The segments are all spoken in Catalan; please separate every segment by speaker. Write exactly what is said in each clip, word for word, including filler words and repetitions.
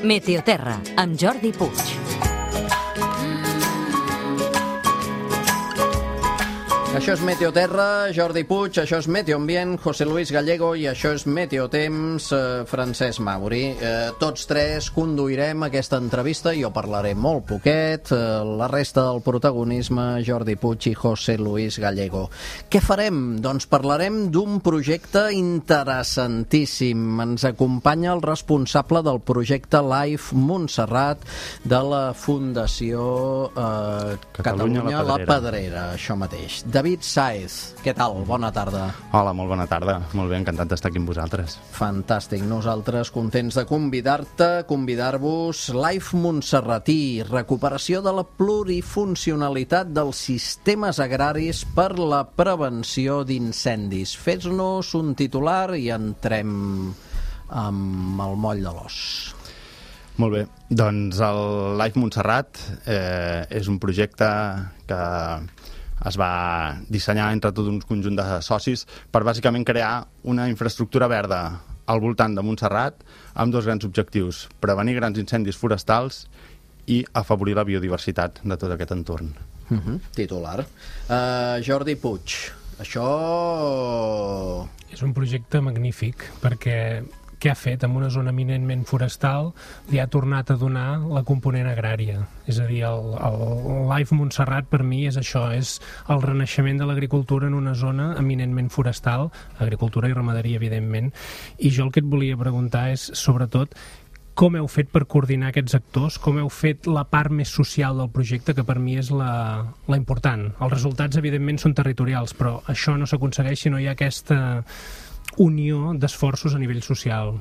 Speaker 1: Meteoterra, amb Jordi Puig.
Speaker 2: Això és Meteoterra, Jordi Puig, això és Meteoambient, José Luis Gallego, i això és Meteotemps, eh, Francesc Mauri. Eh, tots tres conduirem aquesta entrevista, jo parlaré molt poquet, eh, la resta del protagonisme, Jordi Puig i José Luis Gallego. Què farem? Doncs parlarem d'un projecte interessantíssim. Ens acompanya el responsable del projecte Life Montserrat de la Fundació eh, Catalunya, Catalunya la Pedrera. Pedrera, això mateix. David Sáez, què tal? Bona tarda.
Speaker 3: Hola, molt bona tarda. Molt bé, encantat d'estar aquí amb vosaltres.
Speaker 2: Fantàstic. Nosaltres contents de convidar-te, convidar-vos. Life Montserratí, recuperació de la plurifuncionalitat dels sistemes agraris per la prevenció d'incendis. Fes-nos un titular i entrem amb el moll de l'os.
Speaker 3: Molt bé. Doncs el Life Montserrat eh, és un projecte que es va dissenyar entre tot un conjunt de socis per bàsicament crear una infraestructura verda al voltant de Montserrat amb dos grans objectius: prevenir grans incendis forestals i afavorir la biodiversitat de tot aquest entorn.
Speaker 2: Uh-huh. Titular. Uh, Jordi Puig, això...
Speaker 4: És un projecte magnífic perquè què ha fet amb una zona eminentment forestal li ha tornat a donar la component agrària. És a dir, el, el Life Montserrat per mi és això, és el renaixement de l'agricultura en una zona eminentment forestal, agricultura i ramaderia, evidentment. I jo el que et volia preguntar és, sobretot, com heu fet per coordinar aquests actors, com heu fet la part més social del projecte, que per mi és la, la important. Els resultats, evidentment, són territorials, però això no s'aconsegueix si no hi ha aquesta unió d'esforços a nivell social.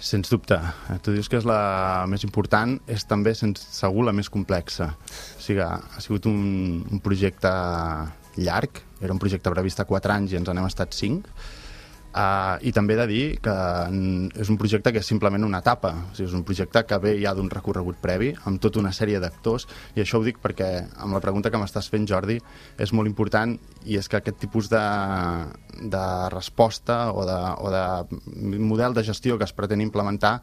Speaker 3: Sens dubte. Tu dius que és la més important, és també, sens segur, la més complexa. O sigui, ha sigut un, un projecte llarg, era un projecte previst a quatre anys i ens n'hem estat cinc. Uh, I també he de dir que és un projecte que és simplement una etapa, o sigui, és un projecte que ve ja d'un recorregut previ amb tota una sèrie d'actors, i això ho dic perquè amb la pregunta que m'estàs fent, Jordi, és molt important, i és que aquest tipus de, de resposta o de, o de model de gestió que es pretén implementar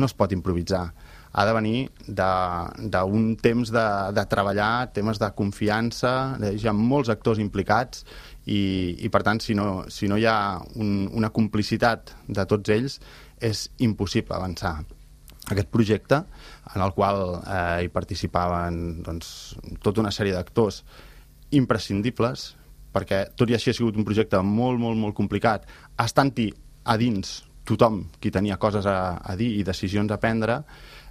Speaker 3: no es pot improvisar. Ha de venir d'un temps de, de treballar, temes de confiança, hi ha molts actors implicats, i, i per tant, si no, si no hi ha un, una complicitat de tots ells, és impossible avançar. Aquest projecte, en el qual eh, hi participaven doncs, tota una sèrie d'actors imprescindibles, perquè tot i així ha sigut un projecte molt, molt, molt complicat, estant-hi a dins tothom qui tenia coses a, a dir i decisions a prendre.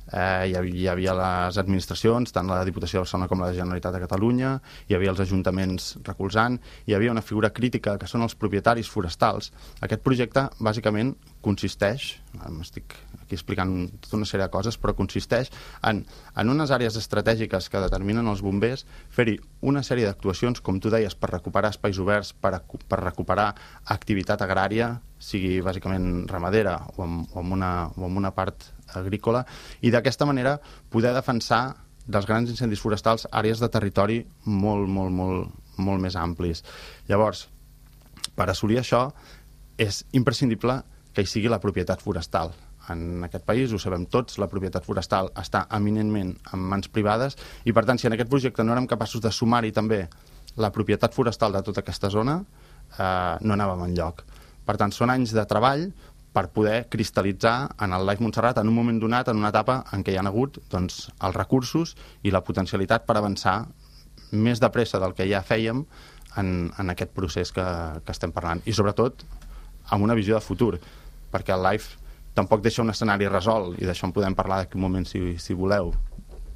Speaker 3: Eh, hi, havia, hi havia les administracions, tant la Diputació de Barcelona com la Generalitat de Catalunya, hi havia els ajuntaments recolzant, hi havia una figura crítica que són els propietaris forestals. Aquest projecte bàsicament consisteix, m'estic aquí explicant tota una sèrie de coses, però consisteix en, en unes àrees estratègiques que determinen els bombers, fer-hi una sèrie d'actuacions, com tu deies, per recuperar espais oberts, per, per recuperar activitat agrària, sigui bàsicament ramadera o amb, o amb, una, o amb una part agrícola, i d'aquesta manera poder defensar dels grans incendis forestals àrees de territori molt, molt, molt, molt més amplis. Llavors, per assolir això, és imprescindible que hi sigui la propietat forestal. En aquest país, ho sabem tots, la propietat forestal està eminentment en mans privades, i per tant, si en aquest projecte no érem capaços de sumar-hi també la propietat forestal de tota aquesta zona, eh, no anàvem enlloc. Per tant, són anys de treball per poder cristal·litzar en el Life Montserrat en un moment donat, en una etapa en què hi ha hagut doncs, els recursos i la potencialitat per avançar més de pressa del que ja fèiem en, en aquest procés que, que estem parlant. I sobretot amb una visió de futur, perquè el Life tampoc deixa un escenari resolt, i d'això en podem parlar d'aquí un moment si, si voleu.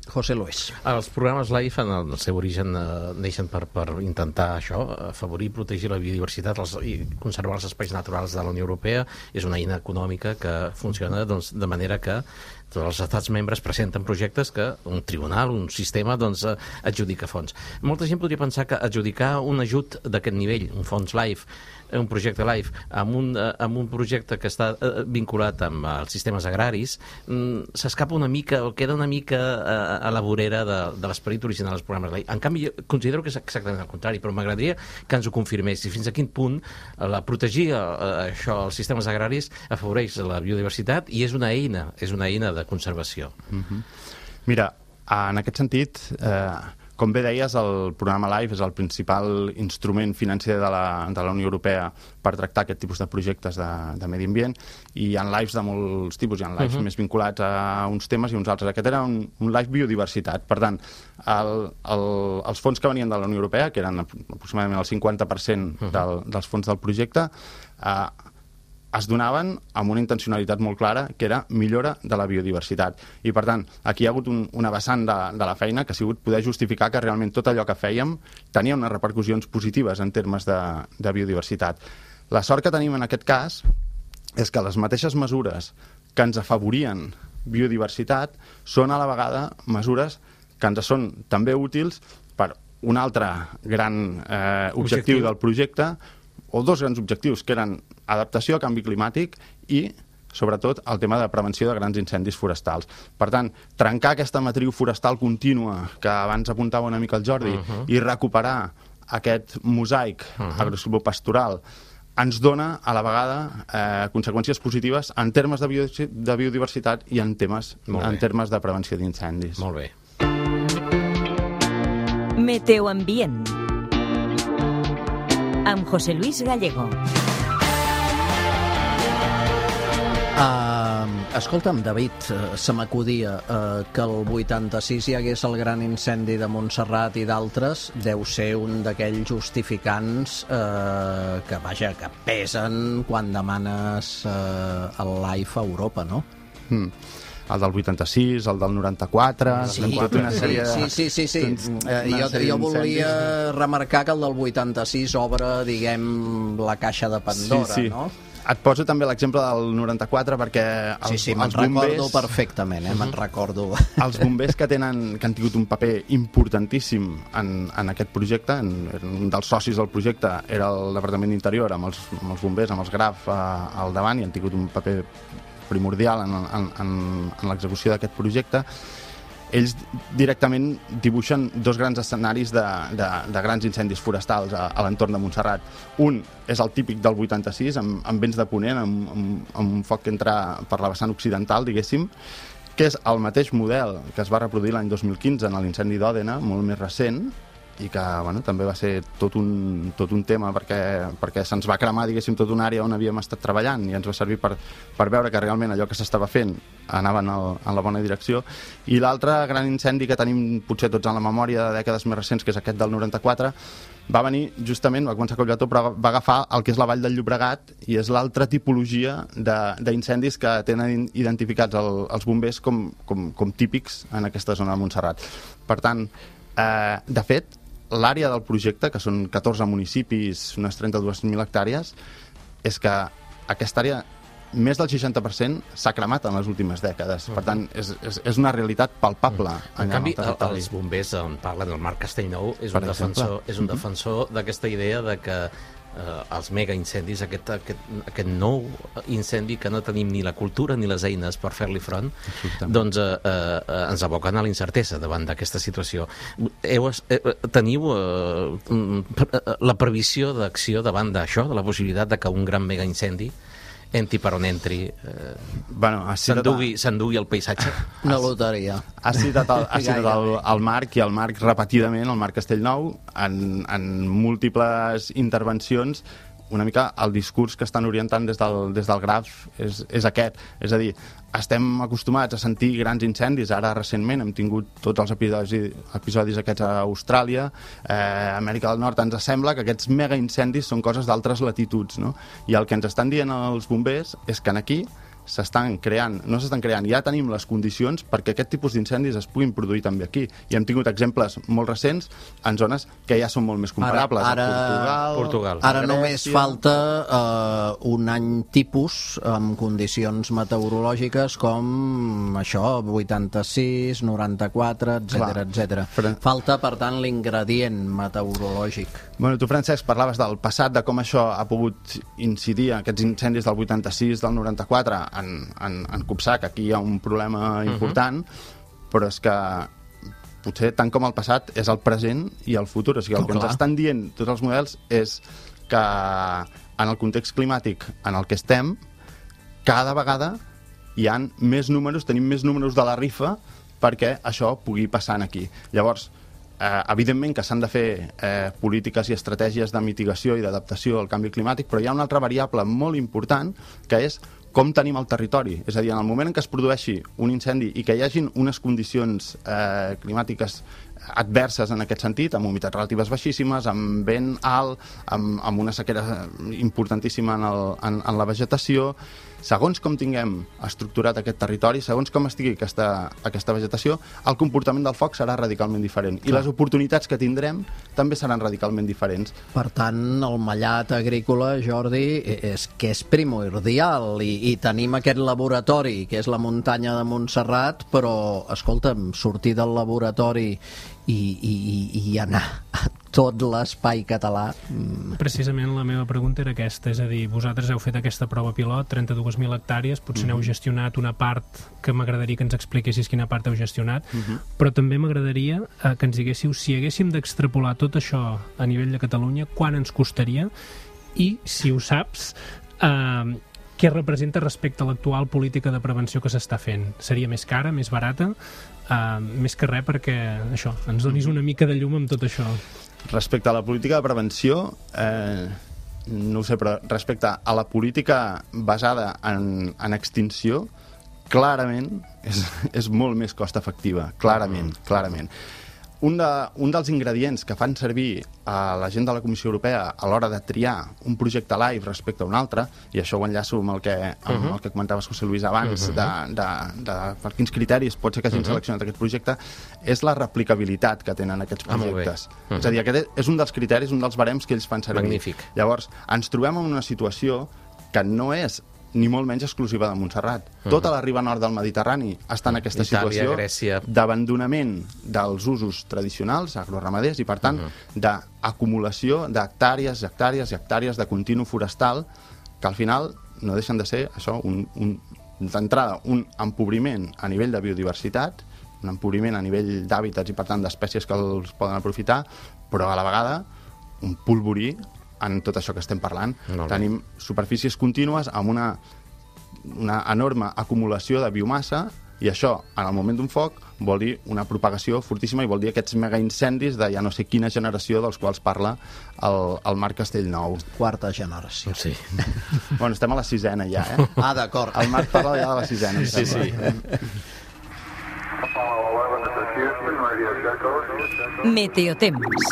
Speaker 2: José Luis.
Speaker 5: Els programes Life, en el seu origen, eh, neixen per, per intentar això, afavorir i protegir la biodiversitat els, i conservar els espais naturals de la Unió Europea. És una eina econòmica que funciona doncs, de manera que tots els estats membres presenten projectes que un tribunal, un sistema, doncs, adjudica fons. Molta gent podria pensar que adjudicar un ajut d'aquest nivell, un fons Life, un projecte LIFE amb un, amb un projecte que està vinculat amb els sistemes agraris, s'escapa una mica, o queda una mica a, a la vorera de, de l'esperit original dels programes LIFE. En canvi, jo considero que és exactament el contrari, però m'agradaria que ens ho confirmés, i fins a quin punt la protegir això, els sistemes agraris afavoreix la biodiversitat i és una eina, és una eina de conservació.
Speaker 3: Mm-hmm. Mira, en aquest sentit, eh, com bé deies, el programa LIFE és el principal instrument financer de la, de la Unió Europea per tractar aquest tipus de projectes de, de medi ambient, i hi ha LIFEs de molts tipus, hi ha LIFEs uh-huh. més vinculats a uns temes i uns altres. Aquest era un, un LIFE biodiversitat. Per tant, el, el, els fons que venien de la Unió Europea, que eren aproximadament el cinquanta per cent uh-huh. del, dels fons del projecte, eh, es donaven amb una intencionalitat molt clara, que era millora de la biodiversitat. I, per tant, aquí hi ha hagut un, una vessant de, de la feina que ha sigut poder justificar que realment tot allò que fèiem tenia unes repercussions positives en termes de, de biodiversitat. La sort que tenim en aquest cas és que les mateixes mesures que ens afavorien biodiversitat són a la vegada mesures que ens són també útils per un altre gran eh, objectiu, objectiu del projecte, o dos grans objectius, que eren adaptació a canvi climàtic i, sobretot, el tema de prevenció de grans incendis forestals. Per tant, trencar aquesta matriu forestal contínua que abans apuntava una mica el Jordi uh-huh. i recuperar aquest mosaic uh-huh. agrosilvopastoral ens dona, a la vegada, eh, conseqüències positives en termes de, biodi- de biodiversitat i en, temes, en termes de prevenció d'incendis.
Speaker 5: Molt bé.
Speaker 1: Meteoambient amb José Luis Gallego.
Speaker 2: Uh, escolta'm, David, uh, se m'acudia uh, que el vuitanta-sis hi hagués el gran incendi de Montserrat i d'altres, deu ser un d'aquells justificants uh, que, vaja, que pesen quan demanes uh, el LIFE a Europa, no?
Speaker 3: Mm. El del vuitanta-sis, el del noranta-quatre...
Speaker 2: Sí, tota una sèrie de... sí, sí, sí, sí. Eh, jo, jo volia remarcar que el del vuitanta-sis obre, diguem, la caixa de Pandora, sí, sí. no?
Speaker 3: Et poso també l'exemple del noranta-quatre perquè els,
Speaker 2: sí, sí, me'n recordo perfectament, eh? me'n recordo.
Speaker 3: Els bombers que tenen que han tingut un paper importantíssim en, en aquest projecte, en, un dels socis del projecte era el Departament d'Interior, amb els, amb els bombers, amb els GRAF eh, al davant, i han tingut un paper primordial en, en, en, en l'execució d'aquest projecte. Ells directament dibuixen dos grans escenaris de, de, de grans incendis forestals a, a l'entorn de Montserrat. Un és el típic del vuitanta-sis, amb, amb vents de ponent, amb, amb, amb un foc que entra per la vessant occidental, diguéssim, que és el mateix model que es va reproduir l'any dos mil quinze en l'incendi d'Òdena, molt més recent, i que bueno, també va ser tot un, tot un tema perquè, perquè se'ns va cremar, diguéssim, tota una àrea on havíem estat treballant, i ens va servir per, per veure que realment allò que s'estava fent anava en, el, en la bona direcció. I l'altre gran incendi que tenim potser tots en la memòria de dècades més recents, que és aquest del noranta-quatre, va venir justament, va començar a Collbató, però va agafar el que és la Vall del Llobregat, i és l'altra tipologia d'incendis que tenen identificats el, els bombers com, com, com típics en aquesta zona de Montserrat. Per tant, eh, de fet, l'àrea del projecte, que són catorze municipis, unes trenta-dues mil hectàrees, és que aquesta àrea, més del seixanta per cent, s'ha cremat en les últimes dècades. Per tant, és, és, és una realitat palpable.
Speaker 5: En canvi, el, els bombers on parlen, el Marc Castellnou, és un defensor, és un defensor d'aquesta idea de que eh, els mega incendis, aquest, aquest, aquest nou incendi que no tenim ni la cultura ni les eines per fer-li front, doncs eh, eh, ens aboquen a la incertesa davant d'aquesta situació. Heu, eh, teniu eh, la previsió d'acció davant d'això, de la possibilitat de que un gran mega incendi entri per on entri, eh,
Speaker 3: bueno,
Speaker 5: s'endugui s'endugui el paisatge?
Speaker 2: Una loteria.
Speaker 3: Ha citat el, ha citat el, el Marc, i el Marc repetidament, el Marc Castellnou, en, en múltiples intervencions, una mica el discurs que estan orientant des del, des del Graf és, és aquest. És a dir, estem acostumats a sentir grans incendis. Ara, recentment, hem tingut tots els episodis, episodis aquests a Austràlia, eh, a Amèrica del Nord. Ens sembla que aquests mega incendis són coses d'altres latituds, no? I el que ens estan dient els bombers és que aquí s'estan creant, no s'estan creant, ja tenim les condicions perquè aquest tipus d'incendis es puguin produir també aquí. I hem tingut exemples molt recents en zones que ja són molt més comparables.
Speaker 2: Ara, ara,
Speaker 3: Portugal,
Speaker 5: Portugal.
Speaker 2: Ara només falta uh, un any tipus amb condicions meteorològiques com això, vuitanta-sis, noranta-quatre, etcètera, etcètera. Falta, per tant, l'ingredient meteorològic.
Speaker 3: Bueno, tu, Francesc, parlaves del passat, de com això ha pogut incidir, aquests incendis del vuitanta-sis, del noranta-quatre, en, en, en copsar, que aquí hi ha un problema important, uh-huh. però és que potser tant com el passat és el present i el futur. O sigui, el oh, que ens estan dient tots els models és que en el context climàtic en el que estem, cada vegada hi ha més números, tenim més números de la rifa perquè això pugui passar aquí. Llavors, eh, evidentment que s'han de fer eh, polítiques i estratègies de mitigació i d'adaptació al canvi climàtic, però hi ha una altra variable molt important que és com tenim el territori. És a dir, en el moment en què es produeixi un incendi i que hi hagin unes condicions eh, climàtiques adverses en aquest sentit, amb humitats relatives baixíssimes, amb vent alt, amb, amb una sequera importantíssima en, el, en, en la vegetació, segons com tinguem estructurat aquest territori, segons com estigui aquesta, aquesta vegetació, el comportament del foc serà radicalment diferent. Clar. I les oportunitats que tindrem també seran radicalment diferents.
Speaker 2: Per tant, el mallat agrícola, Jordi, és que és primordial i, i tenim aquest laboratori, que és la muntanya de Montserrat, però, escolta'm, sortir del laboratori i, i, i anar a tot l'espai català...
Speaker 4: Precisament la meva pregunta era aquesta, és a dir, vosaltres heu fet aquesta prova pilot, trenta-dues mil hectàrees, potser mm-hmm. n'heu gestionat una part que m'agradaria que ens expliquessis quina part heu gestionat, mm-hmm. però també m'agradaria eh, que ens diguéssiu si haguéssim d'extrapolar tot això a nivell de Catalunya, quan ens costaria i, si ho saps, eh, què representa respecte a l'actual política de prevenció que s'està fent? Seria més cara, més barata? Uh, més que res perquè això, ens donis una mica de llum amb tot això.
Speaker 3: Respecte a la política de prevenció, eh, no ho sé, però respecte a la política basada en, en extinció, clarament és, és molt més cost efectiva, clarament, clarament. Un, de, un dels ingredients que fan servir a la gent de la Comissió Europea a l'hora de triar un projecte live respecte a un altre, i això ho enllaço amb el que, amb uh-huh. el que comentaves, José Luis, abans, uh-huh. de, de, de per quins criteris pot ser que hagin uh-huh. seleccionat aquest projecte, és la replicabilitat que tenen aquests projectes. Ah, uh-huh. És a dir, aquest és un dels criteris, un dels barems que ells fan servir.
Speaker 5: Magnífic.
Speaker 3: Llavors, ens trobem en una situació que no és ni molt menys exclusiva de Montserrat. Uh-huh. Tota la riba nord del Mediterrani està en aquesta
Speaker 5: Itàlia,
Speaker 3: situació
Speaker 5: Grècia.
Speaker 3: D'abandonament dels usos tradicionals, agroramaders, i per tant uh-huh. d'acumulació d'hectàrees, hectàrees i hectàrees de continu forestal que al final no deixen de ser això, un, un, d'entrada, un empobriment a nivell de biodiversitat, un empobriment a nivell d'hàbitats i per tant d'espècies que els poden aprofitar, però a la vegada un polvorí en tot això que estem parlant. No, no. Tenim superfícies contínues amb una, una enorme acumulació de biomassa i això, en el moment d'un foc, vol dir una propagació fortíssima i vol dir aquests megaincendis de ja no sé quina generació dels quals parla el, el Marc Castellnou.
Speaker 2: Quarta generació.
Speaker 5: Sí.
Speaker 3: Bueno, estem a la sisena ja, eh?
Speaker 2: Ah, d'acord.
Speaker 3: El Marc parla ja de la sisena.
Speaker 5: Sí, sí.
Speaker 1: Meteotemps.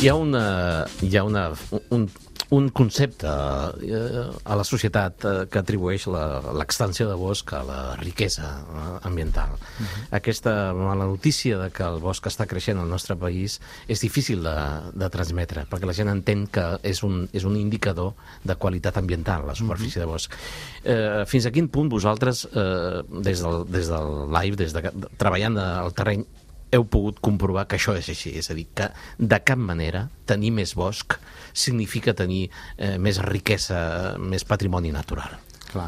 Speaker 5: Hi ha una, hi ha una, un, un concepte eh, a la societat eh, que atribueix l'extensió de bosc a la riquesa eh, ambiental. Uh-huh. Aquesta mala notícia de que el bosc està creixent al nostre país és difícil de, de transmetre, perquè la gent entén que és un, és un indicador de qualitat ambiental, la superfície uh-huh. de bosc. Eh, fins a quin punt vosaltres, eh, des, del, des del live, des de, treballant al terreny, heu pogut comprovar que això és així? És a dir, que de cap manera tenir més bosc significa tenir eh, més riquesa, més patrimoni natural.
Speaker 3: Clar.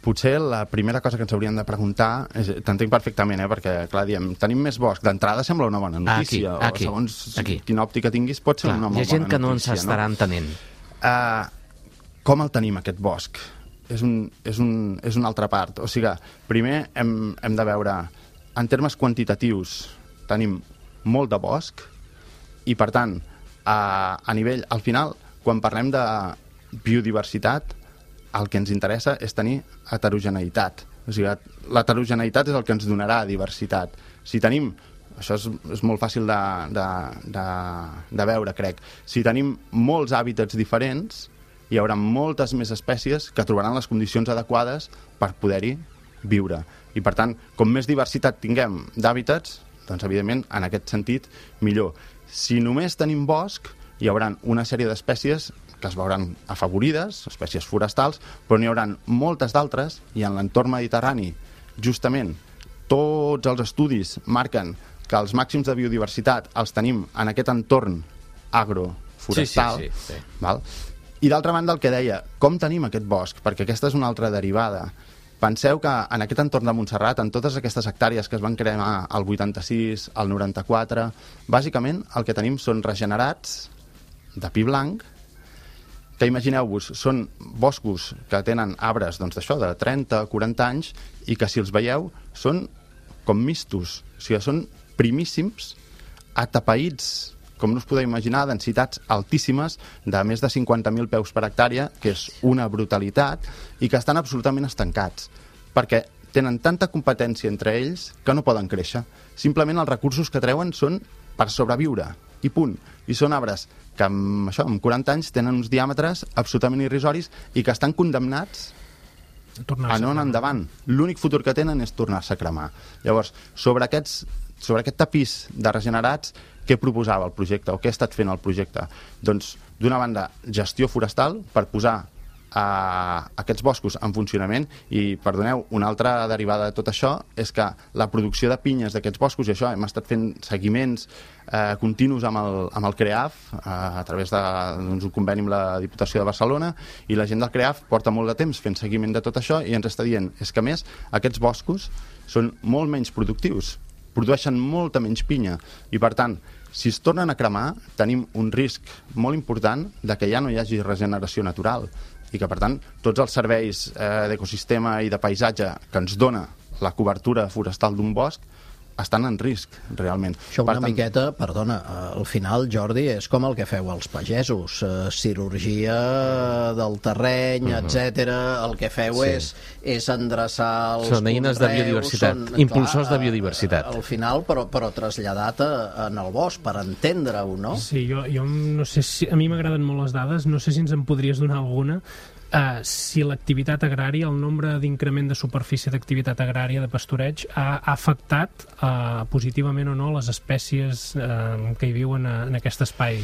Speaker 3: Potser la primera cosa que ens hauríem de preguntar, t'entenc perfectament, eh, perquè, clar, diem, tenim més bosc, d'entrada sembla una bona notícia,
Speaker 5: aquí, aquí,
Speaker 3: o segons
Speaker 5: aquí.
Speaker 3: quina òptica tinguis pot ser clar, una molt bona notícia.
Speaker 5: Hi ha gent que no ens estarà
Speaker 3: no?
Speaker 5: entenent.
Speaker 3: Uh, com el tenim, aquest bosc? És, un, és, un, és una altra part. O sigui, primer hem, hem de veure, en termes quantitatius, tenim molt de bosc i, per tant, a, a nivell, al final, quan parlem de biodiversitat, el que ens interessa és tenir heterogeneïtat. O sigui, l'heterogeneïtat és el que ens donarà diversitat. Si tenim això és, és molt fàcil de, de, de, de veure, crec. Si tenim molts hàbitats diferents, hi haurà moltes més espècies que trobaran les condicions adequades per poder-hi viure. I, per tant, com més diversitat tinguem d'hàbitats, doncs, evidentment, en aquest sentit, millor. Si només tenim bosc, hi haurà una sèrie d'espècies que es veuran afavorides, espècies forestals, però n'hi haurà moltes d'altres, i en l'entorn mediterrani, justament, tots els estudis marquen que els màxims de biodiversitat els tenim en aquest entorn agroforestal.
Speaker 5: Sí, sí, sí, sí.
Speaker 3: Val? I d'altra banda, el que deia, com tenim aquest bosc? Perquè aquesta és una altra derivada. Penseu que en aquest entorn de Montserrat, en totes aquestes hectàrees que es van crear al vuitanta-sis, al noranta-quatre, bàsicament el que tenim són regenerats de pi blanc, que imagineu-vos, són boscos que tenen arbres doncs, d'això, de trenta a quaranta anys, i que si els veieu són com mistos, o sigui, són primíssims, atapeïts, com no us podeu imaginar, densitats altíssimes de més de cinquanta mil peus per hectàrea, que és una brutalitat, i que estan absolutament estancats, perquè tenen tanta competència entre ells que no poden créixer. Simplement els recursos que treuen són per sobreviure, i punt. I són arbres que amb, això, amb quaranta anys tenen uns diàmetres absolutament irrisoris i que estan condemnats a no anar endavant. L'únic futur que tenen és tornar-se a cremar. Llavors, sobre, aquests, sobre aquest tapís de regenerats, què proposava el projecte o què ha estat fent el projecte? Doncs, d'una banda, gestió forestal per posar a aquests boscos en funcionament, i perdoneu, una altra derivada de tot això és que la producció de pinyes d'aquests boscos, i això hem estat fent seguiments eh, continus amb el, amb el CREAF eh, a través d'un doncs, conveni amb la Diputació de Barcelona, i la gent del CREAF porta molt de temps fent seguiment de tot això i ens està dient, és que a més aquests boscos són molt menys productius, produeixen molta menys pinya, i per tant, si es tornen a cremar, tenim un risc molt important de que ja no hi hagi regeneració natural, i que, per tant, tots els serveis eh, d'ecosistema i de paisatge que ens dona la cobertura forestal d'un bosc estan en risc, realment.
Speaker 2: Això una
Speaker 3: per tant...
Speaker 2: miqueta, perdona, al final, Jordi, és com el que feu als pagesos, eh, cirurgia del terreny, uh-huh. etcètera. El que feu sí. és, és endreçar els
Speaker 5: són eines de biodiversitat, són, impulsors clar, de biodiversitat.
Speaker 2: Al final, però, però traslladat a, en el bosc, per entendre-ho, no?
Speaker 4: Sí, jo, jo no sé si... A mi m'agraden molt les dades, no sé si ens en podries donar alguna. Uh, si l'activitat agrària, el nombre d'increment de superfície d'activitat agrària de pastureig ha, ha afectat uh, positivament o no les espècies uh, que hi viuen a, en aquest espai.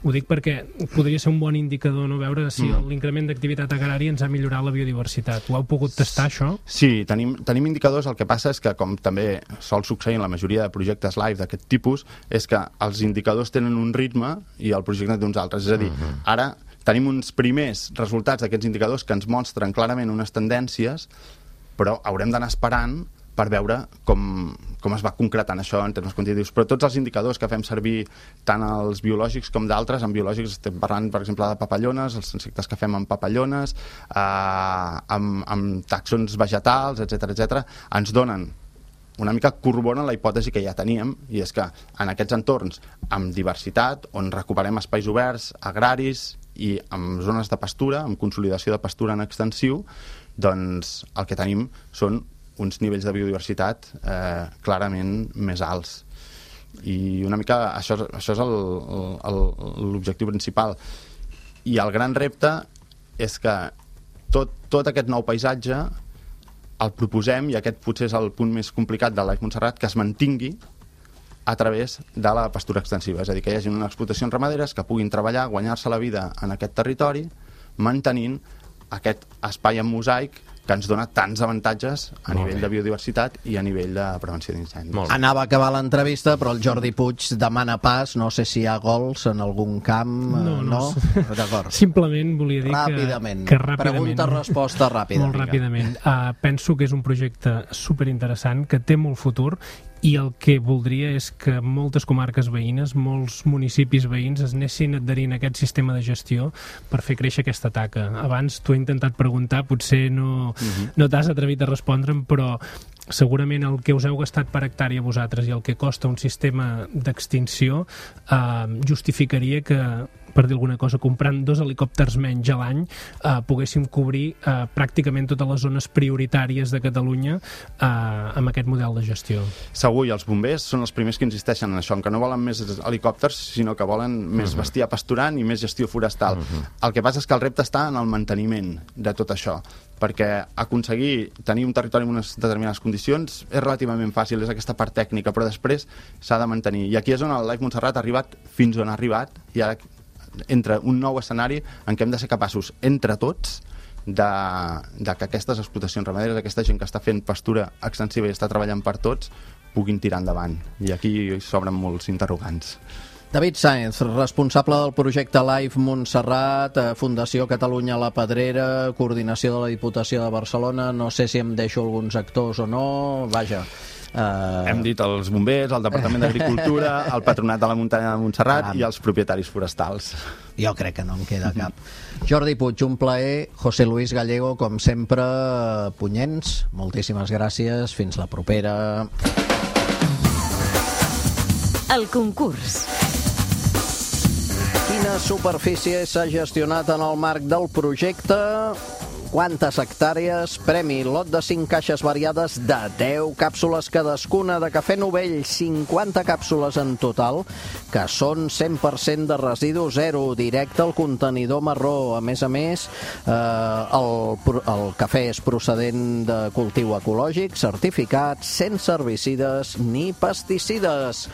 Speaker 4: Ho dic perquè podria ser un bon indicador, no, veure si mm. l'increment d'activitat agrària ens ha millorat la biodiversitat. Ho heu pogut tastar, això?
Speaker 3: Sí, tenim, tenim indicadors. El que passa és que, com també sol succeir en la majoria de projectes live d'aquest tipus, és que els indicadors tenen un ritme i el projecte d'uns altres. És a dir, mm-hmm. ara tenim uns primers resultats d'aquests indicadors que ens mostren clarament unes tendències, però haurem d'anar esperant per veure com, com es va concretant això en termes quantitatius. Però tots els indicadors que fem servir, tant els biològics com d'altres, en biològics estem parlant, per exemple, de papallones, els insectes que fem amb papallones, eh, amb, amb tàxons vegetals, etcètera, etcètera, ens donen una mica corroboren la hipòtesi que ja teníem, i és que en aquests entorns amb diversitat, on recuperem espais oberts, agraris i amb zones de pastura, amb consolidació de pastura en extensiu, doncs el que tenim són uns nivells de biodiversitat eh, clarament més alts. I una mica això, això és l'objectiu principal. I el gran repte és que tot, tot aquest nou paisatge el proposem, i aquest potser és el punt més complicat de l'Aix Montserrat, que es mantingui a través de la pastura extensiva. És a dir, que hi hagi unes explotacions ramaderes que puguin treballar, guanyar-se la vida en aquest territori, mantenint aquest espai en mosaic que ens dona tants avantatges a Molt nivell bé. de biodiversitat i a nivell de prevenció d'incendis.
Speaker 2: Anava a acabar l'entrevista, però el Jordi Puig demana pas, no sé si hi ha gols en algun camp, no? no? no? D'acord.
Speaker 4: Simplement volia dir
Speaker 2: ràpidament.
Speaker 4: que, que ràpidament...
Speaker 2: Pregunta-resposta ràpida.
Speaker 4: Molt ràpidament. Uh, penso que és un projecte superinteressant, que té molt futur, i el que voldria és que moltes comarques veïnes, molts municipis veïns es anessin adherint a aquest sistema de gestió per fer créixer aquesta taca. Abans t'ho he intentat preguntar, potser no, uh-huh. no t'has atrevit a respondre'm, però segurament el que us heu gastat per hectàrea vosaltres i el que costa un sistema d'extinció eh, justificaria que per dir alguna cosa, comprant dos helicòpters menys a l'any, eh, poguéssim cobrir eh, pràcticament totes les zones prioritàries de Catalunya eh, amb aquest model de gestió.
Speaker 3: Segur, i els bombers són els primers que insisteixen en això, en que no volen més helicòpters, sinó que volen més uh-huh. bestiar pasturant i més gestió forestal. Uh-huh. El que passa és que el repte està en el manteniment de tot això, perquè aconseguir tenir un territori en unes determinades condicions és relativament fàcil, és aquesta part tècnica, però després s'ha de mantenir. I aquí és on el Life Montserrat ha arribat fins on ha arribat, i ara entra un nou escenari en què hem de ser capaços, entre tots, de, de que aquestes explotacions ramaderes, aquesta gent que està fent pastura extensiva i està treballant per tots, puguin tirar endavant. I aquí s'obren molts interrogants.
Speaker 2: David Sáenz, responsable del projecte Life Montserrat, Fundació Catalunya La Pedrera, coordinació de la Diputació de Barcelona. No sé si em deixo alguns actors o no, vaja.
Speaker 3: Uh... Hem dit els bombers, el Departament d'Agricultura, el Patronat de la Muntanya de Montserrat ah. i els propietaris forestals.
Speaker 2: Jo crec que no en queda cap. Jordi Puig, un plaer. José Luis Gallego, com sempre, punyents. Moltíssimes gràcies. Fins la propera.
Speaker 1: El concurs.
Speaker 2: Quina superfície s'ha gestionat en el marc del projecte? Quantes hectàrees? Premi lot de cinc caixes variades de deu càpsules cadascuna de cafè Novell, cinquanta càpsules en total, que són cent per cent de residu zero, directe al contenidor marró. A més a més, eh, el, el cafè és procedent de cultiu ecològic, certificat, sense herbicides ni pesticides.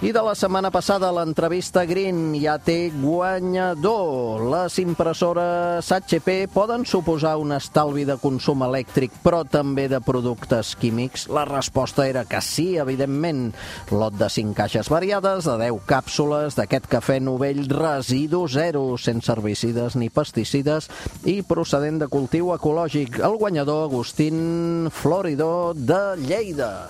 Speaker 2: I de la setmana passada, l'entrevista Green ja té guanyador. Les impressores H P poden suposar un estalvi de consum elèctric, però també de productes químics? La resposta era que sí, evidentment. Lot de cinc caixes variades, de deu càpsules d'aquest cafè Novell residu zero, sense herbicides ni pesticides i procedent de cultiu ecològic. El guanyador, Agustín Floridor, de Lleida.